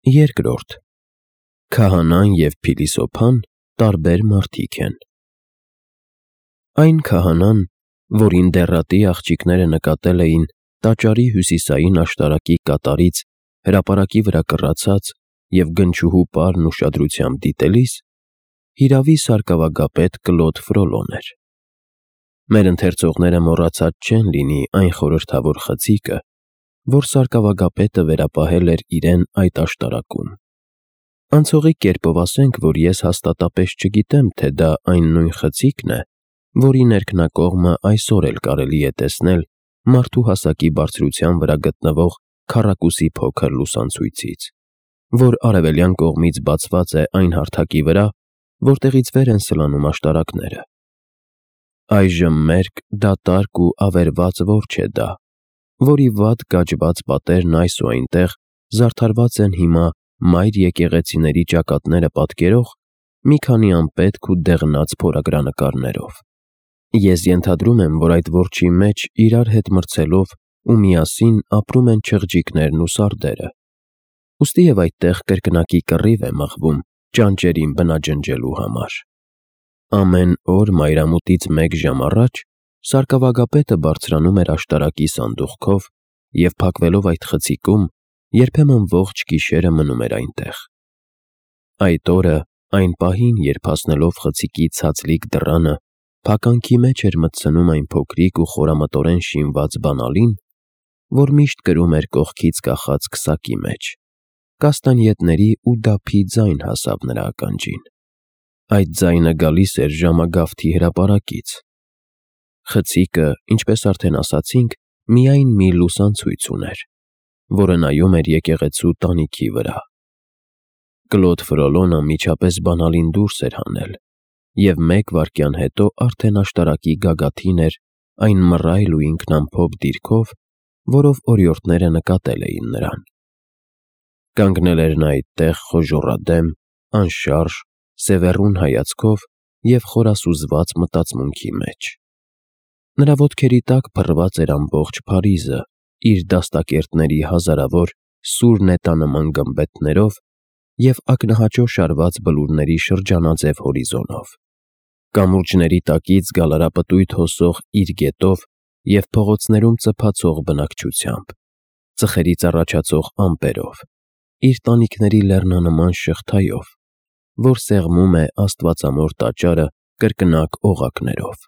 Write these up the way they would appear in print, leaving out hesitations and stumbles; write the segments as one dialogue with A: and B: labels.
A: Երկրորդ. Քահանան և փիլիսոփան տարբեր մարդիկ են։ Այն քահանան, որին դեռատի աղջիկները նկատել էին տաճարի հյուսիսային աշտարակի կատարից հրապարակի վրա կռացած և գնչուհու պարն ուշադրությամբ դիտելիս, հիրավի սարկավագապետ Կլոդ Ֆրոլոն էր։ Մեր ընթերցողները մոռացած չեն լինի այն խորհրդավոր խցիկը, որ սարկավագապետը վերապահել էր իրեն այդ աշտարակում։ Անցողիկ կերպով ասենք, որ ես հաստատապես չգիտեմ, թե դա այն նույն խցիկն է, որի ներքնակողմը այսօր էլ կարելի է տեսնել մարդու հասակի բարձրության վրա գտնվող քառակուսի փոքր լուսանցույցից, որ արևելյան կողմից բացված է այն հարթակի վրա, որտեղից վեր են սլանում աշտարակները։ Այժմ մերկ, դատարկ ու ավերված որջը է դա, որի վատ կաջված պատերն այս ու այնտեղ զարդարված են հիմա մայր եկեղեցիների ճակատները պատկերող մի քանի անպետք ու դեղնած փորագրանկարներով։ Ես ենթադրում եմ, որ այդ որջի մեջ իրար հետ մրցելով ու միասին ապրում են չղջիկներն ու սարդերը, ուստի և այդտեղ կրկնակի կռիվ է մղվում ճանճերին բնաջնջելու համար։ Ամեն օր մայրամուտից մեկ ժամ առաջ սարկավագապետը բարձրանում էր աշտարակի սանդուղքով և փակվելով այդ խցիկում, երբեմն ողջ գիշերը մնում էր այնտեղ։ Այդ օրը, այն պահին, երբ հասնելով խցիկի ցածլիկ դռանը, փականքի մեջ էր մտցնում այն փոքրիկ ու խորամտորեն շինված բանալին, որ միշտ կրում էր կողքից կախած քսակի մեջ, կաստանյետների ու դափի ձայն հասավ նրա ականջին։ Այդ ձայնը գալիս էր ժամագավթի հրապարակից։ Խցիկը, ինչպես արդեն ասացինք, միայն մի լուսանցույց ուներ, որը նայում էր եկեղեցու տանիքի վրա։ Կլոդ Ֆրոլոն անմիջապես բանալին դուրս էր հանել, և մեկ վայրկյան հետո արդեն աշտարակի գագաթին էր այն մռայլ ու ինքնամփոփ դիրքով, որով օրիորդները նկատել էին նրան։ Կանգնել էր նա այդտեղ խոժոռադեմ, անշարժ, սևեռուն հայացքով և խորասուզված մտածմունքի մեջ։ Նրա ոտքերի տակ փռված էր ամբողջ Փարիզը իր դաստակերտների հազարավոր սուր նետանման գմբեթներով և ակնահաճո շարված բլուրների շրջանաձև հորիզոնով, կամուրջների տակից գալարապտույտ հոսող իր գետով և փողոցներում ծփացող բնակչությամբ, ծխերից առաջացող ամպերով, իր տանիքների լեռնանման շղթայով, որ սեղմում է աստվածամոր տաճարը կրկնակ օղակներով։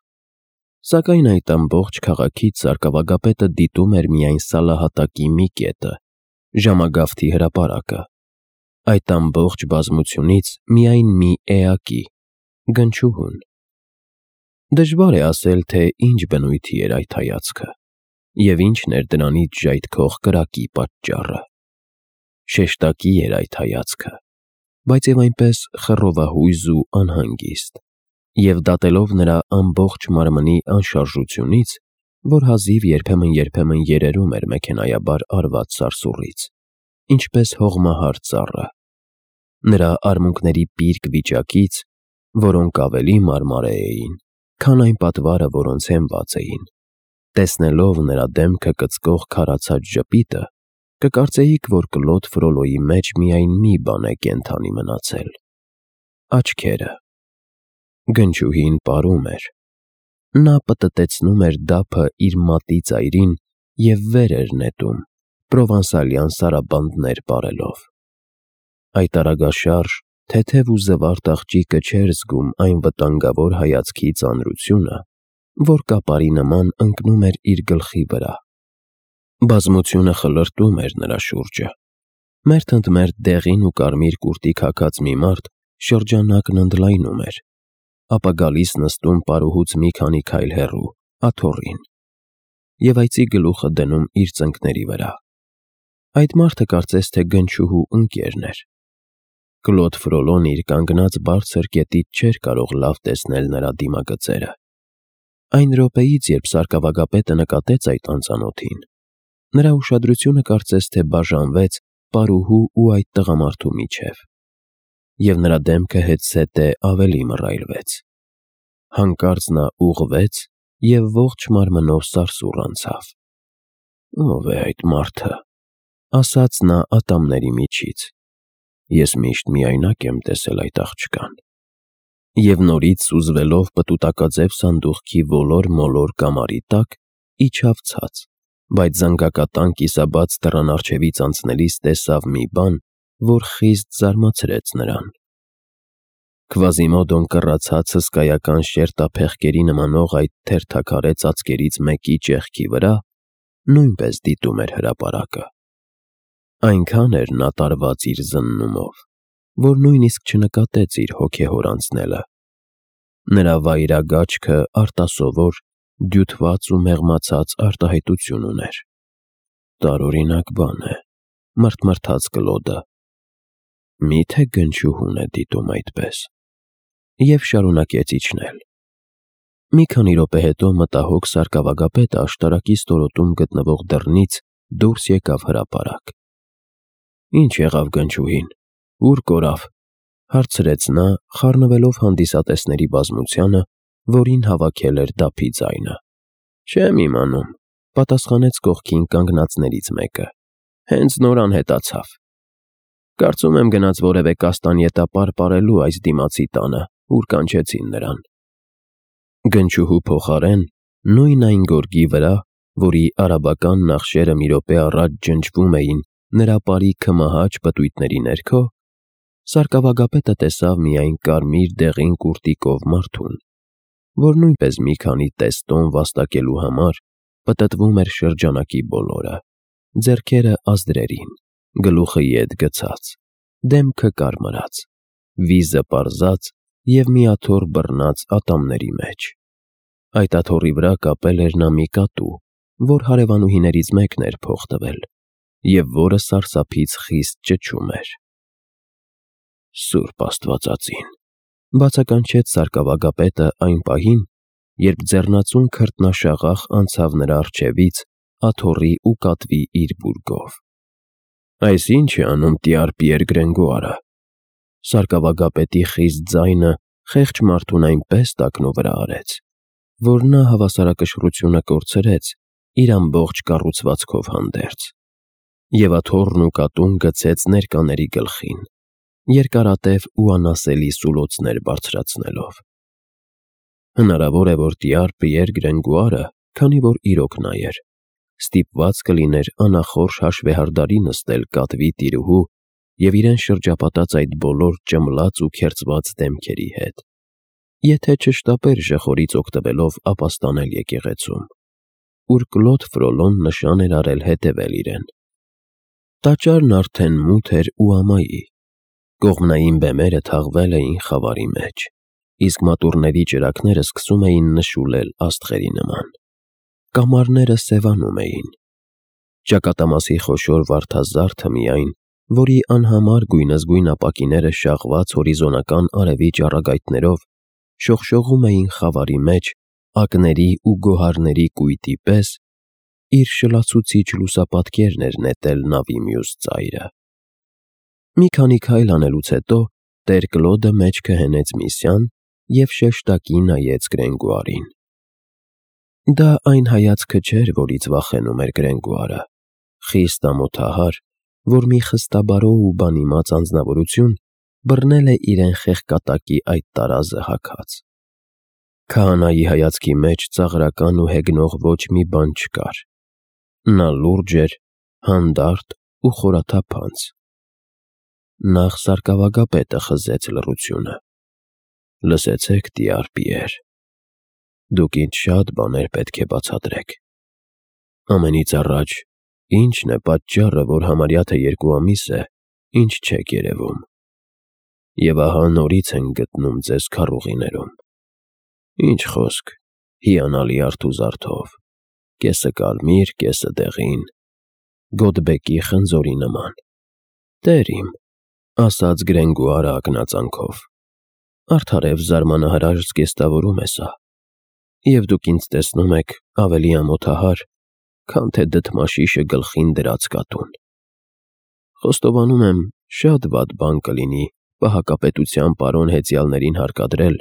A: Սակայն այդ ամբողջ քաղաքից սարկավագապետը դիտում էր միայն սալահատակի մի կետը՝ ժամագավթի հրապարակը, այդ ամբողջ բազմությունից միայն մի էակի՝ գնչուհուն։ Դժվար է ասել, թե ինչ բնույթի էր այդ հայացքը և ինչն էր դրանից ժայթքող կրակի պատճառը։ Շեշտակի էր այդ հայացքը, բայց և այնպես խռովահույզ ու անհանգիստ, և դատելով նրա ամբողջ մարմնի անշարժությունից, որ հազիվ երբեմն երերում էր մեքենայաբար արված սարսուռից, ինչպես հողմահար ծառը, նրա արմունկների պիրկ վիճակից, որոնք ավելի մարմարե էին, քան այն պատվարը, որոնց հենված էին, տեսնելով նրա դեմքը կծկող քարացած ժպիտը, կկարծեիք, որ Կլոդ Ֆրոլոյի մեջ միայն մի բան է կենդանի մնացել՝ աչքերը։ Գնչուհին պարում էր։ Նա պտտեցնում էր դափը իր մատի ծայրին և վեր էր նետում, պրովանսալյան սարաբանդներ պարելով։ Այդ արագաշարժ, թեթև ու զվարթ աղջիկը չէր զգում այն վտանգավոր հայացքի ծանրությունը, որ կապարի նման ընկնում էր իր գլխի վրա։ Բազմությունը խլրտում էր նրա շուրջը։ Մերթ ընդ մերթ դեղին ու կարմիր կուրտիկ հագած մի մարդ շրջանակն ընդլայնում էր, ապա գալիս նստում պարուհուց մի քանի քայլ հեռու, աթոռին, և այծի գլուխը դնում իր ծնկների վրա։ Այդ մարդը կարծես թե գնչուհու ընկերն էր։ Կլոդ Ֆրոլոն իր կանգնած բարձր կետից չէր կարող լավ տեսնել նրա դիմագծերը։ Այն րոպեից, երբ սարկավագապետը նկատեց այդ անծանոթին, նրա ուշադրությունը կարծես թե բաժանվեց պարուհու ու այդ տղամարդու միջև, և նրա դեմքը հետզհետե ավելի մռայլվեց։ Հանկարծ նա ուղղվեց և ողջ մարմնով սարսուռ անցավ։ «Ո՞վ է այդ մարդը», ասաց նա ատամների միջից։ ես միշտ միայնակ եմ տեսել այդ աղջկան։ Եվ նորից սուզվելով պտուտակաձև սանդուղքի ոլոր-մոլոր կամարի տակ, իջավ ցած, բայց զանգակատան կիսաբաց դռան առջևից անցնելիս տեսավ մի բան, որ խիստ զարմացրեց նրան։ Քվազիմոդոն կռացած հսկայական շերտափեղկերի նմանող այդ թերթաքարե ծածկերից մեկի ճեղքի վրա նույնպես դիտում էր հրապարակը։ Այնքան էր նա տարված իր զննումով, որ նույնիսկ չնկատեց իր հոգեհոր անցնելը։ Նրա վայրագաչքը արտասովոր, դյութված ու մեղմացած արտահայտություն ուներ։ Տարօրինակ բան է, մռթմռթաց Կլոդը։ Միթե գնչուհուն է դիտում այդպես։ Եվ շարունակեց իջնել։ Մի քանի րոպե հետո մտահոգ սարկավագապետը աշտարակի ստորոտում գտնվող դռնից դուրս եկավ հրապարակ։ Ինչ եղավ գնչուհին, ուր կորավ, հարցրեց նա, խառնվելով հանդիսատեսների բազմությանը, որին հավաքել էր դափի ձայնը։ Չեմ իմանում, պատասխանեց կողքին կանգնածներից մեկը։ Հենց նոր անհետացավ։ Կարծում եմ գնաց որևէ կաստանյետապար պարելու այս դիմացի տանը, ուր կանչեցին նրան։ Գնչուհու փոխարեն նույն այն գորգի վրա, որի արաբական նախշերը մի րոպե առաջ ջնջվում էին նրա պարի քմահաճ պտույտների ներքո, սարկավագապետը տեսավ միայն կարմիր դեղին կուրտիկով մարդուն, որ նույնպես մի քանի տեստոն վաստակելու համար պտտվում էր շրջանակի բոլորը, ձեռքերը ազդրերին, գլուխը ետ գցած, դեմքը կարմրած, վիզը պարզած և մի աթոռ բռնած ատամների մեջ։ Այդ աթոռի վրա կապել էր նա մի կատու, որ հարևանուհիներից մեկն էր փող տվել, և որը սարսափից խիստ ճչում էր։ Սուրբ Աստվածածին, բացականչեց սարկավագապետը այն պահին, երբ ձեռնածուն քրտնաշաղախ անցավ նրա առջևից աթոռի ու կատվի իր բուրգով։ Այս ի՞նչ է անում տյար Պիեր Գրենգուարը։ Սարկավագապետի խիստ ձայնը խեղճ մարդուն այնպես տակնու վրա արեց, որ նա հավասարակշռությունը կորցրեց իր ամբողջ կառուցվածքով հանդերձ, և աթոռն ու կատուն գցեց ներկաների գլխին, երկարատև ու անասելի սուլոցներ բարձրացնելով։ Հնարավոր է, որ տյար Պիեր Գրենգուարը, քանի որ իրոք նա էր, ստիպված կլիներ անախորժ հաշվեհարդարի նստել կատվի տիրուհու և իրեն շրջապատած այդ բոլոր ճմլած ու քերծված դեմքերի հետ, եթե չշտապեր ժխորից օգտվելով ապաստանել եկեղեցում, ուր Կլոդ Ֆրոլոն նշան էր արել հետևել իրեն։ Տաճարն արդեն մութ էր ու ամայի, կողմնային բեմերը թաղվել էին խավարի մեջ, իսկ մատուռների ճրագները սկսում էին նշուլել աստղերի նման։ Կամարները սևանում էին։ Ճակատամասի խոշոր վարդազարդը միայն, որի անհամար գույնզգույն ապակիները շաղված հորիզոնական արևի ճառագայթներով շողշողում էին խավարի մեջ ակների ու գոհարների կույտի պես, իր շլացուցիչ լուսապատկերն էր նետել նավի մյուս ծայրը։ Մի քանի քայլ անելուց հետո տեր Կլոդը մեջքը հենեց Միսյան և շեշտակի նայեց Գրենգուարին։ Դա այն հայացքը չէր, որից վախենում էր Գրենգուարը, խիստ ամոթահար, որ մի խստաբարո ու բանիմաց անձնավորություն բռնել է իրեն խեղկատակի այդ տարազը հագած։ Քահանայի հայացքի մեջ ծաղրական ու հեգնող ոչ մի բան չկար։ Նա լուրջ էր, հանդարտ ու խորաթափանց։ Նախ սարկավագապետը խզեց լռությունը։ Լսեցեք, տյար Պիեր, դուք ինձ շատ բաներ պետք է բացատրեք։ Ամենից առաջ, ի՞նչն է պատճառը, որ համարյա թե 2 ամիս է, ինչ չեք երևում։ Եվ ահա նորից ենք գտնում ձեզ քառուղիներում։ Ինչ խոսք, հիանալի արթուզարդով, կեսը կարմիր, կեսը դեղին, Գոդբեկի խնձորի նման։ Տեր իմ, ասաց Գրենգուարը ակնածանքով, արդարև զարմանահրաշ զգեստավորում է սա, և դուք ինձ տեսնում եք ավելի ամոթահար, քան թե դդմաշիշը գլխին դրած կատուն։ Խոստովանում եմ, շատ վատ բան կլինի պահակապետության պարոն հեծյալներին հարկադրել,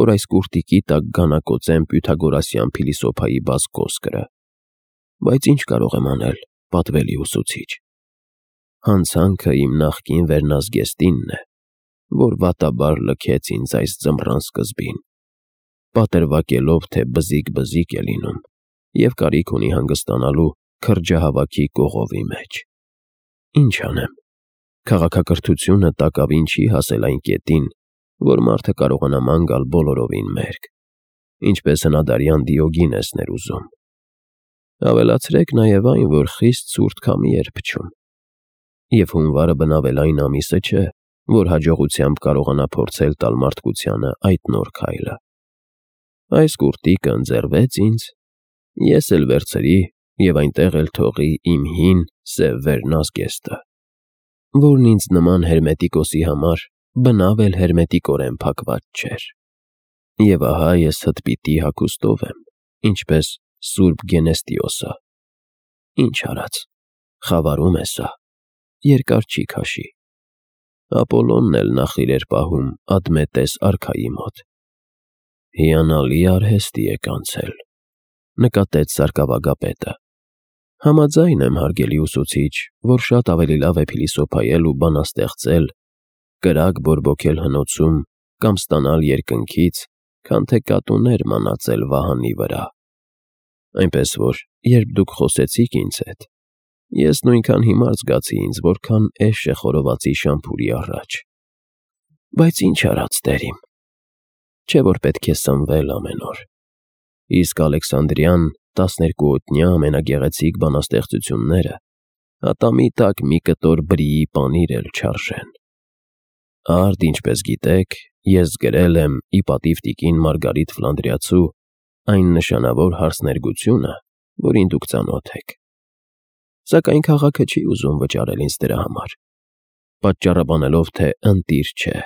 A: որ այս կուրտիկի տակ գանակոծեն պյութագորասյան փիլիսոփայի բաց խոսքերը, բայց ինչ կարող եմ անել, պատվելի ուսուցիչ։ Հանցանքը իմ նախկին վերնազգեստինն է, որ վատաբար լքեց ինձ այս ձմռան սկզբին, պատրվակելով, թե բզիկ-բզիկ է լինում և կարիք ունի հանգստանալու քրջահավաքի կողովի մեջ։ Ինչ անեմ, քաղաքակրթությունը տակավին չի հասել այն կետին, որ մարդը կարողանա ման գալ բոլորովին մերկ, ինչպես հնադարյան Դիոգինեսն էր ուզում։ Ավելացրեք նաև այն, որ խիստ ցուրտ քամի էր փչում, և հունվարը բնավելային ամիսը չէ, որ հաջողությամբ կարողանա փորձել տալ մարդկությանը այդ նոր քայլը։ Այս կուրտիկը ընձեռվեց ինձ, ես էլ վերցրի և այնտեղ էլ թողի իմ հին սև վերնազգեստը, որն ինձ նման հերմետիկոսի համար բնավ էլ հերմետիկորեն փակված չէր։ Եվ ահա ես հտպիտի հագուստով եմ, ինչպես Սուրբ Գենեստիոսը։ Ինչ արած, խավարում է սա, երկար չի քաշի։ Ապոլոնն էլ նախ իրեր պահում Ադմետես արքայի մոտ։ Հիանալի արհեստի եք անցել, նկատեց սարկավագապետը։ Համաձայն եմ, հարգելի ուսուցիչ, որ շատ ավելի լավ է փիլիսոփայել ու բանաստեղծել, կրակ բորբոքել հնոցում կամ ստանալ երկնքից, քան թե կատուներ մանածել վահանի վրա։ Այնպես որ, երբ դուք խոսեցիք ինձ հետ, ես նույնքան հիմար զգացի ինձ, որքան էշ է խորովածի շամփուրի առաջ։ Բայց ինչ արած տերիմ, չէ որ պետք է սնվել ամեն օր։ Իսկ Ալեքսանդրյան 12-օդնյա ամենագեղեցիկ բանաստեղծությունները ատամի տակ մի կտոր բրիի պանիր էլ չարժեն։ Արդ, ինչպես գիտեք, ես գրել եմ ի պատիվ տիկին Մարգարիտ Ֆլանդրիացու այն նշանավոր հարցներգությունը, որին դուք ծանոթ եք։ Սակայն քաղաքը չի ուզում վճարել ինձ դրա համար, պատճառաբանելով, թե ընտիր չէ։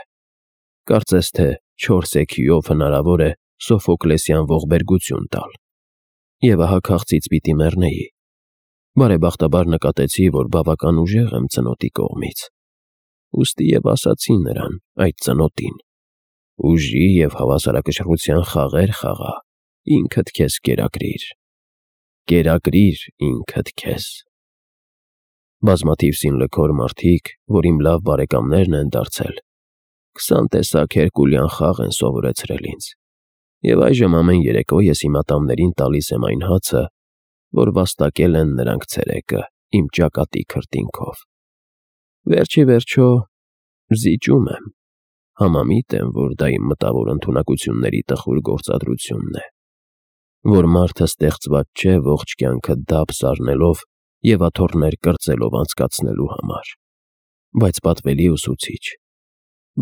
A: Կարծես թե 4 էքյուով հնարավոր է Սոֆոկլեսյան ողբերգություն տալ։ Եվ ահա քաղցից պիտի մեռնեի։ Բարեբախտաբար նկատեցի, որ բավական ուժեղ եմ ծնոտի կողմից։ Ուստի և ասացի նրան, այդ ծնոտին. ուժի և հավասարակշռության խաղեր խաղա, ինքդ քեզ կերակրիր ինքդ քեզ։ Բազմաթիվ սինլքոր մարդիկ, որ իմ լավ բարեկամներն են դարձել, 20 տեսակ հերկուլյան խաղ են սովորեցրել ինձ, և այժմ ամեն երեկո ես իմ ատամներին տալիս եմ այն հացը, որ վաստակել են նրանք ցերեկը իմ ճակատի քրտինքով։ Վերջ ի վերջո զիջում եմ, համամիտ եմ, որ դա իմ մտավոր ընդունակությունների տխուր գործադրությունն է, որ մարդը ստեղծված չէ ողջ կյանքը դափ զարնելով և աթոռներ կրծելով անցկացնելու համար։ Բայց պատվելի ուսուցիչ,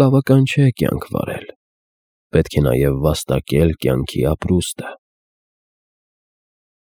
A: բավական չէ կյանք վարել, պետք է նաև վաստակել կյանքի ապրուստը։